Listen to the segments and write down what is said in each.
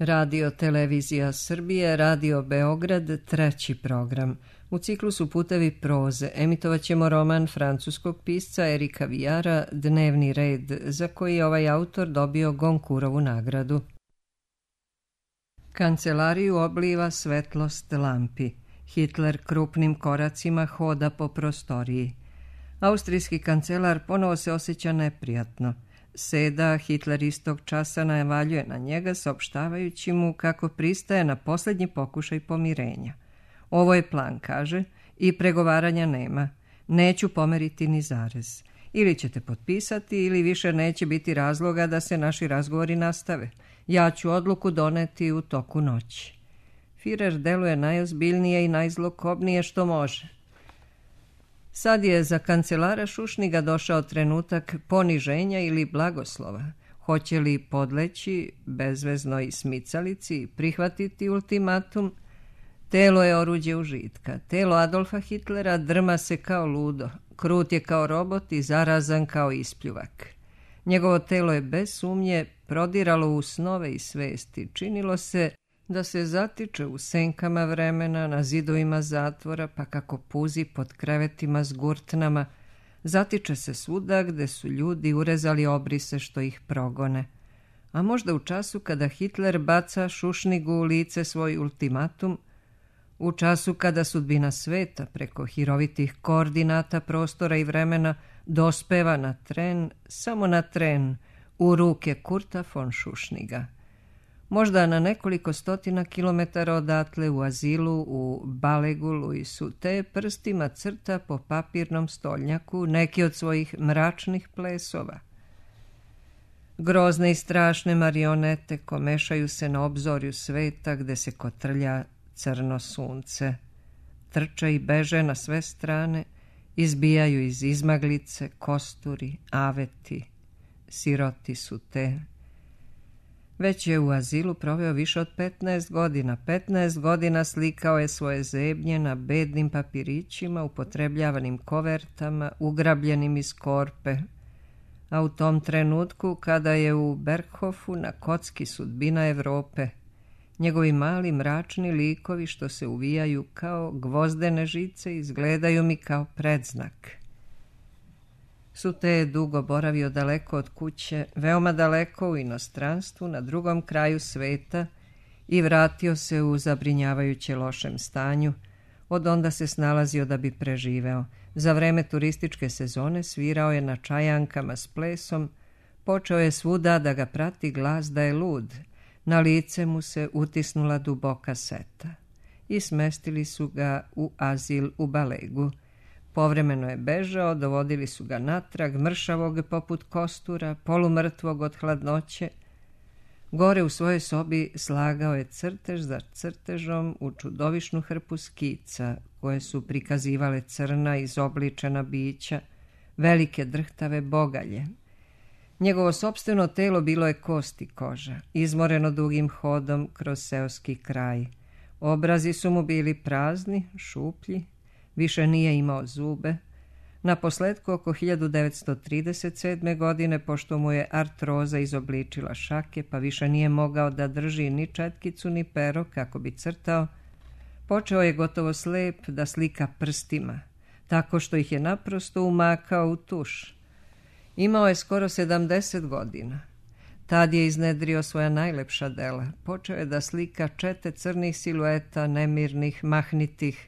Radio Televizija Srbije, Radio Beograd, treći program. U ciklusu Putevi proze emitovaćemo roman francuskog pisca Erika Vijara Dnevni red, za koji je ovaj autor dobio Gonkurovu nagradu. Kancelariju obliva svetlost lampi. Hitler krupnim koracima hoda po prostoriji. Austrijski kancelar ponovo se osjeća neprijatno. Seda, Hitler istog časa najavaljuje na njega, saopštavajući mu kako pristaje na posljednji pokušaj pomirenja. Ovo je plan, kaže, i pregovaranja nema. Neću pomeriti ni zarez. Ili ćete potpisati, ili više neće biti razloga da se naši razgovori nastave. Ja ću odluku doneti u toku noći. Führer deluje najozbiljnije i najzlokobnije što može. Sad je za kancelara Šušniga došao trenutak poniženja ili blagoslova. Hoće li podleći bezveznoj smicalici, prihvatiti ultimatum? Telo je oruđe užitka. Telo Adolfa Hitlera drma se kao ludo. Krut je kao robot i zarazan kao ispljuvak. Njegovo telo je bez sumnje prodiralo u snove i svesti. Činilo se da se zatiče u senkama vremena, na zidovima zatvora, pa kako puzi pod krevetima s gurtnama. Zatiče se svuda gde su ljudi urezali obrise što ih progone. A možda u času kada Hitler baca Šušnigu u lice svoj ultimatum, u času kada sudbina sveta preko hirovitih koordinata prostora i vremena dospeva na tren, samo na tren, u ruke Kurta von Šušniga. Možda na nekoliko stotina kilometara odatle u azilu u Balegulu i Sute prstima crta po papirnom stolnjaku neki od svojih mračnih plesova. Grozne i strašne marionete komešaju se na obzorju sveta gde se kotrlja crno sunce. Trče i beže na sve strane, izbijaju iz izmaglice kosturi, aveti, siroti Sute. Već je u azilu proveo više od 15 godina. 15 godina slikao je svoje zebnje na bednim papirićima, upotrebljavanim kovertama, ugrabljenim iz korpe. A u tom trenutku, kada je u Berghofu na kocki sudbina Evrope, njegovi mali mračni likovi što se uvijaju kao gvozdene žice izgledaju mi kao predznak. Sute je dugo boravio daleko od kuće, veoma daleko u inostranstvu, na drugom kraju sveta i vratio se u zabrinjavajuće lošem stanju. Od onda se snalazio da bi preživeo. Za vreme turističke sezone svirao je na čajankama s plesom, počeo je svuda da ga prati glas da je lud. Na lice mu se utisnula duboka seta i smestili su ga u azil u Balegu. Povremeno je bežao, dovodili su ga natrag, mršavog poput kostura, polumrtvog od hladnoće. Gore u svojoj sobi slagao je crtež za crtežom u čudovišnu hrpu skica, koje su prikazivale crna izobličena bića, velike drhtave bogalje. Njegovo sopstveno telo bilo je kost i koža, izmoreno dugim hodom kroz seoski kraj. Obrazi su mu bili prazni, šuplji, više nije imao zube. Naposletku oko 1937. godine, pošto mu je artroza izobličila šake, pa više nije mogao da drži ni četkicu ni pero kako bi crtao, počeo je gotovo slep da slika prstima, tako što ih je naprosto umakao u tuš. Imao je skoro 70 godina. Tad je iznedrio svoja najlepša dela. Počeo je da slika čete crnih silueta, nemirnih, mahnitih.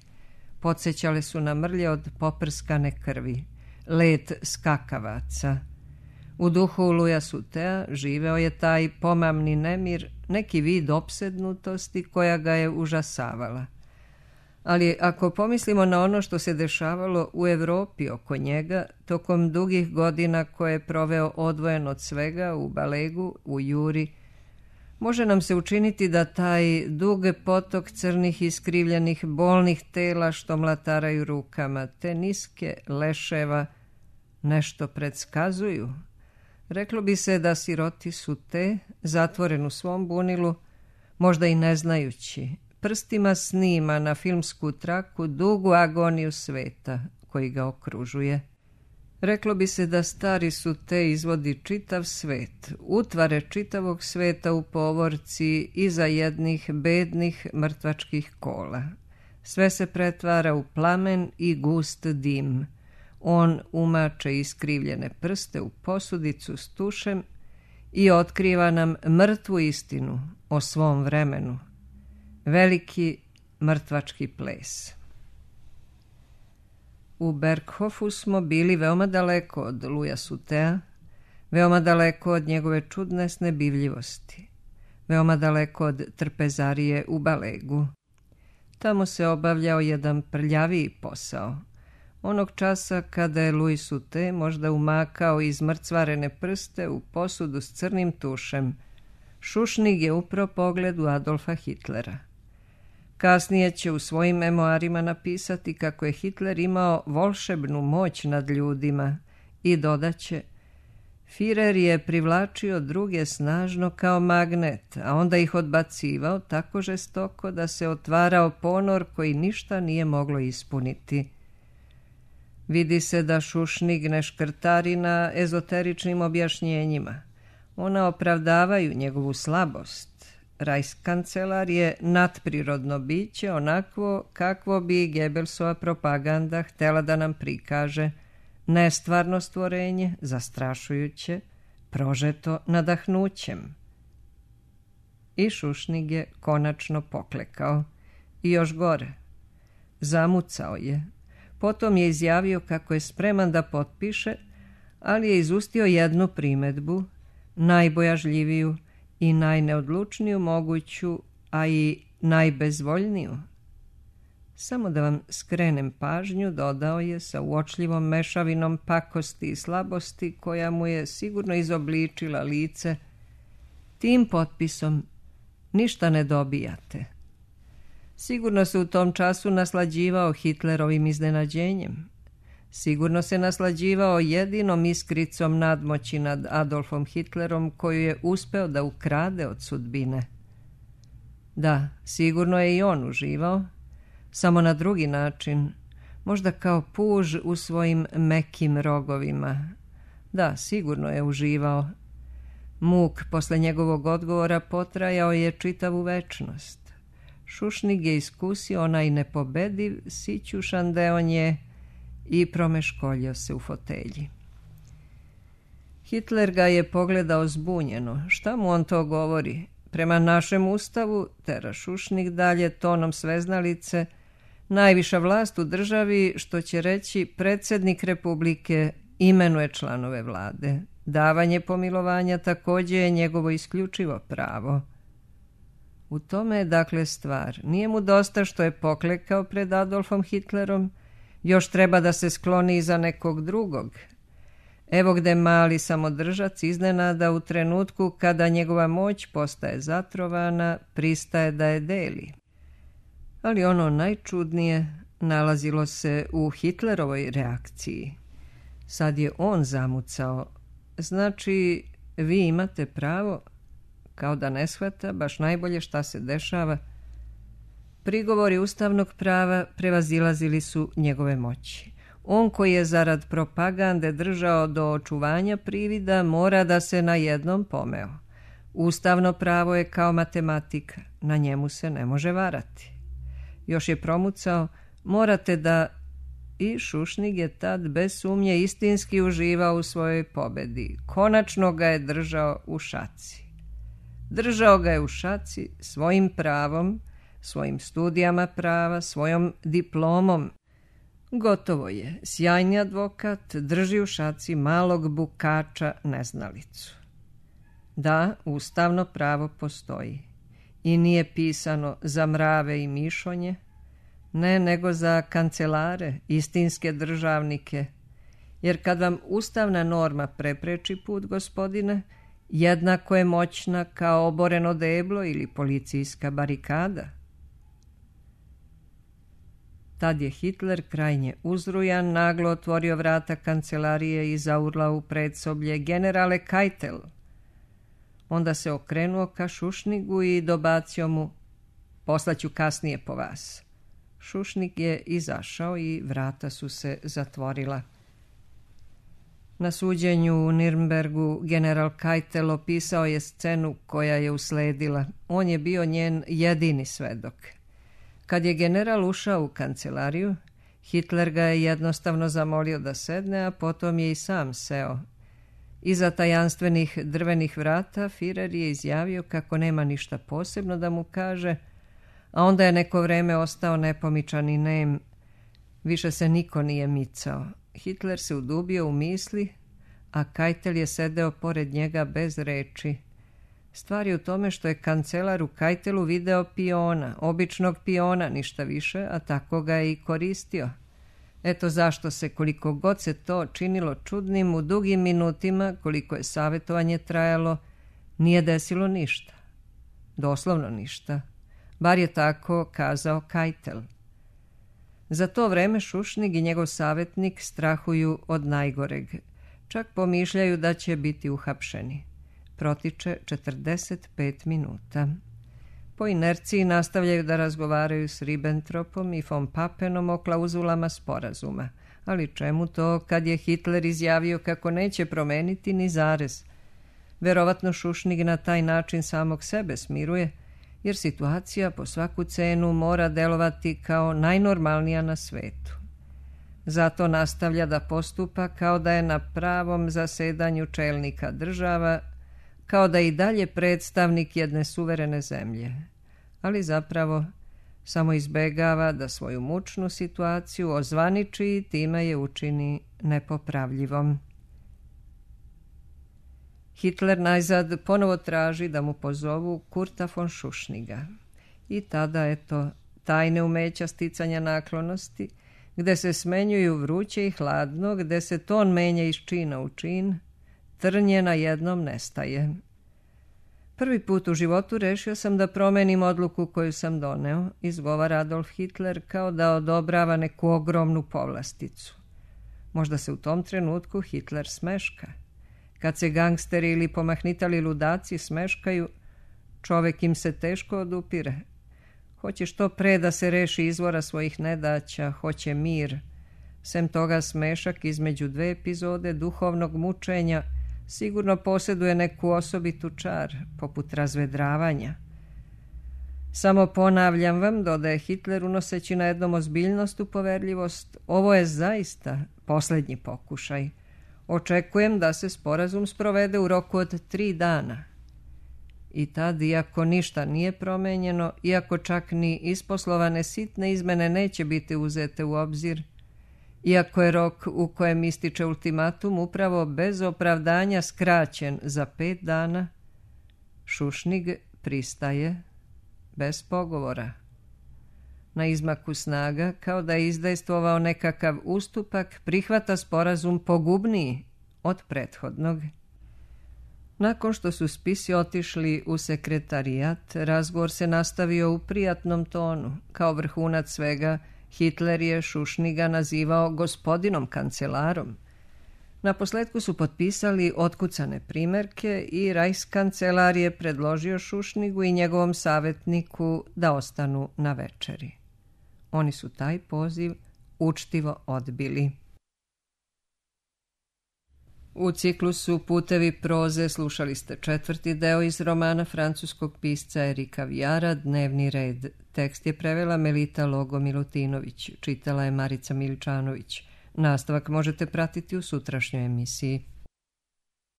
Podsećale su na mrlje od poprskane krvi, let skakavaca. U duhu Luja Sutea živeo je taj pomamni nemir, neki vid opsednutosti koja ga je užasavala. Ali ako pomislimo na ono što se dešavalo u Evropi oko njega, tokom dugih godina koje je proveo odvojen od svega u Balegu, u Juri, može nam se učiniti da taj dug potok crnih iskrivljenih bolnih tela što mlataraju rukama, te niske leševa, nešto predskazuju. Reklo bi se da siroti Sute, zatvoren u svom bunilu, možda i ne znajući, prstima snima na filmsku traku dugu agoniju sveta koji ga okružuje. Reklo bi se da stari su te izvodi čitav svet, utvare čitavog sveta u povorci iza jednih bednih mrtvačkih kola. Sve se pretvara u plamen i gust dim. On umače iskrivljene prste u posudicu s tušem i otkriva nam mrtvu istinu o svom vremenu. Veliki mrtvački ples. U Berghofu smo bili veoma daleko od Luja Sutea, veoma daleko od njegove čudne snebivljivosti, veoma daleko od trpezarije u Balegu. Tamo se obavljao jedan prljaviji posao. Onog časa kada je Louis Sutet možda umakao izmrcvarene prste u posudu s crnim tušem, Šušnig je upro pogled u Adolfa Hitlera. Kasnije će u svojim memoarima napisati kako je Hitler imao volšebnu moć nad ljudima i dodaće: Führer je privlačio druge snažno kao magnet, a onda ih odbacivao tako žestoko da se otvarao ponor koji ništa nije moglo ispuniti. Vidi se da Šušnig ne škrtari na ezoteričnim objašnjenjima. Ona opravdavaju njegovu slabost. Reichskancelar je nadprirodno biće, onakvo kakvo bi Goebbelsova propaganda htjela da nam prikaže, nestvarno stvorenje, zastrašujuće, prožeto nadahnućem. I Šušnig je konačno poklekao. I još gore. Zamucao je. Potom je izjavio kako je spreman da potpiše, ali je izustio jednu primedbu, najbojažljiviju i najneodlučniju moguću, a i najbezvoljniju. Samo da vam skrenem pažnju, dodao je sa uočljivom mešavinom pakosti i slabosti koja mu je sigurno izobličila lice, tim potpisom ništa ne dobijate. Sigurno se u tom času naslađivao Hitlerovim iznenađenjem. Sigurno se naslađivao jedinom iskricom nadmoći nad Adolfom Hitlerom koju je uspeo da ukrade od sudbine. Da, sigurno je i on uživao, samo na drugi način, možda kao puž u svojim mekim rogovima. Da, sigurno je uživao. Muk posle njegovog odgovora potrajao je čitavu večnost. Šušnig je iskusio onaj nepobediv, sićušan deonje i promeškoljio se u fotelji. Hitler ga je pogledao zbunjeno. Šta mu on to govori? Prema našem ustavu, tera Šušnig dalje tonom sveznalice, najviša vlast u državi, što će reći predsjednik Republike, imenuje članove vlade. Davanje pomilovanja također je njegovo isključivo pravo. U tome je dakle stvar. Nije mu dosta što je poklekao pred Adolfom Hitlerom, još treba da se skloni iza nekog drugog. Evo gde mali samodržac iznenada u trenutku kada njegova moć postaje zatrovana, pristaje da je deli. Ali ono najčudnije nalazilo se u Hitlerovoj reakciji. Sad je on zamucao. Znači, vi imate pravo, kao da ne shvata baš najbolje šta se dešava. Prigovori ustavnog prava prevazilazili su njegove moći. On koji je zarad propagande držao do očuvanja privida mora da se na jednom pomeo. Ustavno pravo je kao matematika, na njemu se ne može varati. Još je promucao, morate da... I Šušnig je tad bez sumnje istinski uživao u svojoj pobedi. Konačno ga je držao u šaci. Držao ga je u šaci svojim pravom, svojim studijama prava, svojom diplomom. Gotovo je. Sjajni advokat drži u šaci malog bukača neznalicu. Da, ustavno pravo postoji. I nije pisano za mrave i mišonje, ne, nego za kancelare, istinske državnike. Jer kad vam ustavna norma prepreči put, gospodine, jednako je moćna kao oboreno deblo ili policijska barikada. Tad je Hitler krajnje uzrujan naglo otvorio vrata kancelarije i zaurlao u predsoblje: generale Keitel. Onda se okrenuo ka Šušnigu i dobacio mu: poslaću kasnije po vas. Šušnig je izašao i vrata su se zatvorila. Na suđenju u Nirnbergu general Keitel opisao je scenu koja je usledila. On je bio njen jedini svedok. Kad je general ušao u kancelariju, Hitler ga je jednostavno zamolio da sedne, a potom je i sam seo. Iza tajanstvenih drvenih vrata Führer je izjavio kako nema ništa posebno da mu kaže, a onda je neko vreme ostao nepomičan i nem. Više se niko nije micao. Hitler se udubio u misli, a Keitel je sedeo pored njega bez reči. Stvar je u tome što je kancelar u Keitelu video piona, običnog piona, ništa više, a tako ga je i koristio. Eto zašto se, koliko god se to činilo čudnim, u dugim minutima, koliko je savjetovanje trajalo, nije desilo ništa. Doslovno ništa. Bar je tako kazao Keitel. Za to vreme Šušnig i njegov savjetnik strahuju od najgoreg. Čak pomišljaju da će biti uhapšeni. Protiče 45 minuta. Po inerciji nastavljaju da razgovaraju s Ribbentropom i von Pappenom o klauzulama sporazuma. Ali čemu to kad je Hitler izjavio kako neće promeniti ni zarez? Verovatno Šušnig na taj način samog sebe smiruje, jer situacija po svaku cenu mora delovati kao najnormalnija na svetu. Zato nastavlja da postupa kao da je na pravom zasedanju čelnika država, kao da je i dalje predstavnik jedne suverene zemlje, ali zapravo samo izbegava da svoju mučnu situaciju ozvaniči i time je učini nepopravljivom. Hitler najzad ponovo traži da mu pozovu Kurta von Šušniga. I tada, eto, tajne umeća sticanja naklonosti, gde se smenjuju vruće i hladno, gde se ton menja iz čina u čin, trnje na jednom nestaje. Prvi put u životu rešio sam da promenim odluku koju sam doneo, izgovara Adolf Hitler kao da odobrava neku ogromnu povlasticu. Možda se u tom trenutku Hitler smeška. Kad se gangsteri ili pomahnitali ludaci smeškaju, čovek im se teško odupire. Hoće što pre da se reši izvora svojih nedaća, hoće mir. Sem toga smešak između dve epizode duhovnog mučenja sigurno posjeduje neku osobitu čar, poput razvedravanja. Samo ponavljam vam, dodaje Hitler unoseći na jednom ozbiljnost u poverljivost, ovo je zaista posljednji pokušaj. Očekujem da se sporazum sprovede u roku od 3 dana. I tad, iako ništa nije promenjeno, iako čak ni isposlovane sitne izmene neće biti uzete u obzir, iako je rok u kojem ističe ultimatum upravo bez opravdanja skraćen za 5 dana, Šušnig pristaje bez pogovora. Na izmaku snaga, kao da je izdejstvovao nekakav ustupak, prihvata sporazum pogubniji od prethodnog. Nakon što su spisi otišli u sekretarijat, razgovor se nastavio u prijatnom tonu. Kao vrhunac svega, Hitler je Šušniga nazivao gospodinom kancelarom. Naposletku su potpisali otkucane primerke i Reichskancelar je predložio Šušnigu i njegovom savjetniku da ostanu na večeri. Oni su taj poziv učtivo odbili. U ciklusu Putevi proze slušali ste 4. deo iz romana francuskog pisca Erika Vijara Dnevni red. Tekst je prevela Melita Logo Milutinović, čitala je Marica Miličanović. Nastavak možete pratiti u sutrašnjoj emisiji.